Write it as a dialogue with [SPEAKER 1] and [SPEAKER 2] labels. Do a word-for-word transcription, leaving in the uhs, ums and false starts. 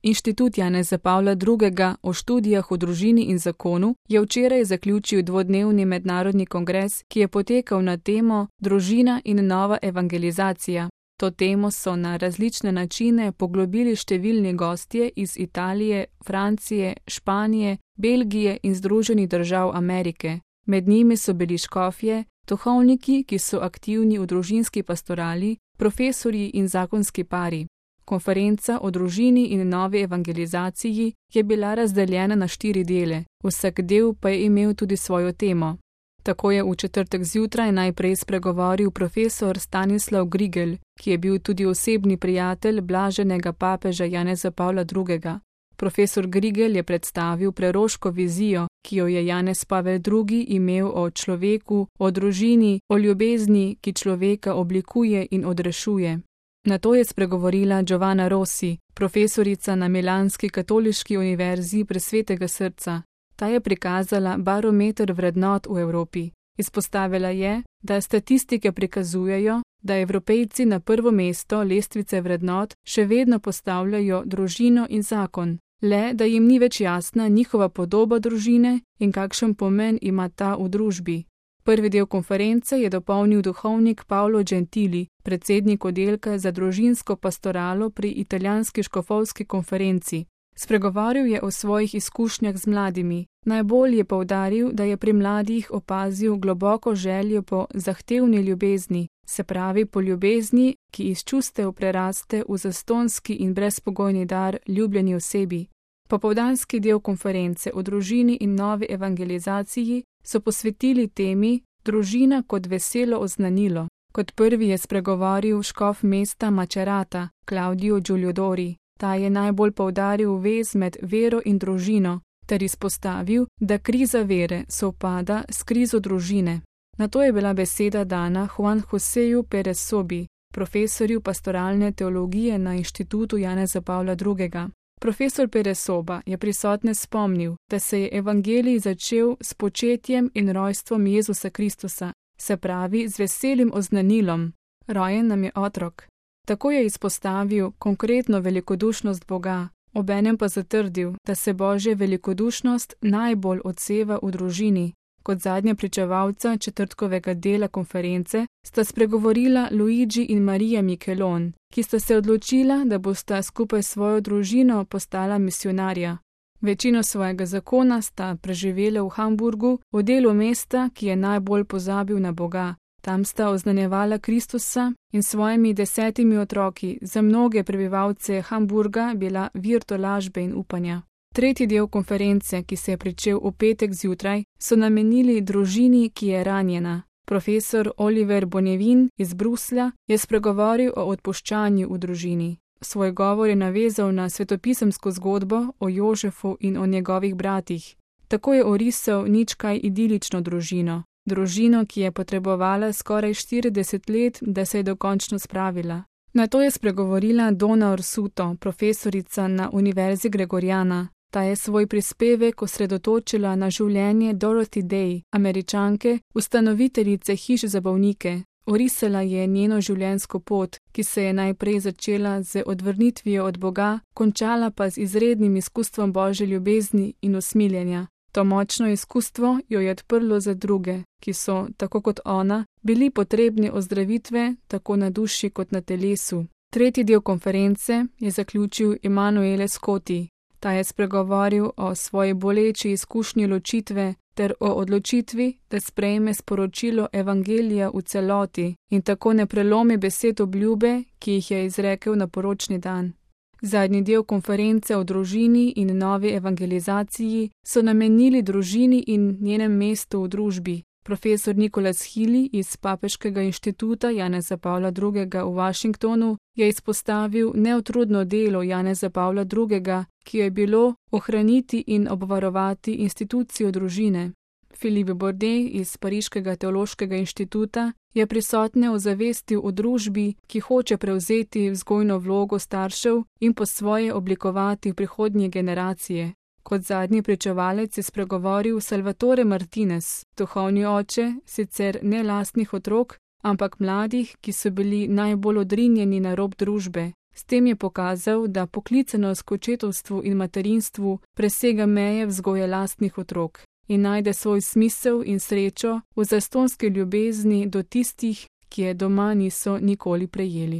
[SPEAKER 1] Inštitut Janeza Pavla drugega o študijah o družini in zakonu je včeraj zaključil dvodnevni mednarodni kongres, ki je potekal na temo Družina in nova evangelizacija. To temo so na različne načine poglobili številni gostje iz Italije, Francije, Španije, Belgije in Združenih držav Amerike. Med njimi so bili škofje, duhovniki, ki so aktivni v družinski pastorali, profesorji in zakonski pari. Konferenca o družini in novi evangelizaciji je bila razdeljena na štiri dele, vsak del pa je imel tudi svojo temo. Tako je v četrtek zjutraj najprej spregovoril profesor Stanislav Grigel, ki je bil tudi osebni prijatelj blaženega papeža Janeza Pavla drugega. Profesor Grigel je predstavil preroško vizijo, ki jo je Janez Pavel drugi imel o človeku, o družini, o ljubezni, ki človeka oblikuje in odrešuje. Nato je spregovorila Giovanna Rossi, profesorica na Milanski katoliški univerzi Presvetega srca. Ta je prikazala barometer vrednot v Evropi. Izpostavila je, da statistike prikazujejo, da Evropejci na prvo mesto lestvice vrednot še vedno postavljajo družino in zakon, le da jim ni več jasna njihova podoba družine in kakšen pomen ima ta v družbi. Prvi del konference je dopolnil duhovnik Paolo Gentili, predsednik oddelka za družinsko pastoralo pri italijanski škofovski konferenci. Spregovoril je o svojih izkušnjah z mladimi. Najbolj je poudaril, da je pri mladih opazil globoko željo po zahtevni ljubezni, se pravi po ljubezni, ki iz čustev preraste v zastonski in brezpogojni dar ljubljeni osebi. Popoldanski del konference o družini in novi evangelizaciji so posvetili temi Družina kot veselo oznanilo. Kot prvi je spregovoril škof mesta Macerata, Claudio Giuliodori. Ta je najbolj poudaril vez med vero in družino, ter izpostavil, da kriza vere sovpada s krizo družine. Nato je bila beseda dana Juan Joseju Perez Sobi, profesorju pastoralne teologije na Inštitutu Janeza Pavla drugega. Profesor Perez Soba je prisotne spomnil, da se je evangelij začel s početjem in rojstvom Jezusa Kristusa, se pravi z veselim oznanilom: rojen nam je otrok. Tako je izpostavil konkretno velikodušnost Boga, obenem pa zatrdil, da se Božja velikodušnost najbolj odseva v družini. Kot zadnja pričevalca četrtkovega dela konference sta spregovorila Luigi in Marija Michelon, ki sta se odločila, da bosta skupaj s svojo družino postala misionarja. Večino svojega zakona sta preživela v Hamburgu, v delu mesta, ki je najbolj pozabil na Boga. Tam sta oznanjevala Kristusa in svojimi desetimi otroki za mnoge prebivalce Hamburga bila vir tolažbe in upanja. Tretji del konference, ki se je pričel v petek zjutraj, so namenili družini, ki je ranjena. Profesor Oliver Bonevin iz Bruslja je spregovoril o odpuščanju v družini. Svoj govor je navezal na svetopisemsko zgodbo o Jožefu in o njegovih bratih. Tako je orisal nič kaj idilično družino. Družino, ki je potrebovala skoraj štirideset let, da se je dokončno spravila. Nato je spregovorila Donna Orsuto, profesorica na Univerzi Gregoriana. Ta je svoj prispevek osredotočila na življenje Dorothy Day, Američanke, ustanoviteljice hiš za bolnike. Orisala je njeno življenjsko pot, ki se je najprej začela z odvrnitvijo od Boga, končala pa z izrednim izkustvom Božje ljubezni in usmiljenja. To močno izkustvo jo je odprlo za druge, ki so, tako kot ona, bili potrebni ozdravitve tako na duši kot na telesu. Tretji del konference je zaključil Emanuele Scotti. Ta je spregovoril o svoji boleči izkušnji ločitve ter o odločitvi, da sprejme sporočilo evangelija v celoti in tako ne prelomi besed obljube, ki jih je izrekel na poročni dan. Zadnji del konference o družini in novi evangelizaciji so namenili družini in njenem mestu v družbi. Profesor Nicholas Healy iz Papeškega inštituta Janeza Pavla drugega v Washingtonu je izpostavil neutrudno delo Janeza Pavla drugega, ki je bilo ohraniti in obvarovati institucijo družine. Philippe Bordet iz Pariškega teološkega inštituta je prisotne ozavestil o družbi, ki hoče prevzeti vzgojno vlogo staršev in po svoje oblikovati prihodnje generacije. Kot zadnji pričevalec je spregovoril Salvatore Martinez, duhovni oče, sicer ne lastnih otrok, ampak mladih, ki so bili najbolj odrinjeni na rob družbe. S tem je pokazal, da poklicanost k očetovstvu in materinstvu presega meje vzgoje lastnih otrok in najde svoj smisel in srečo v zastonski ljubezni do tistih, ki je doma niso nikoli prejeli.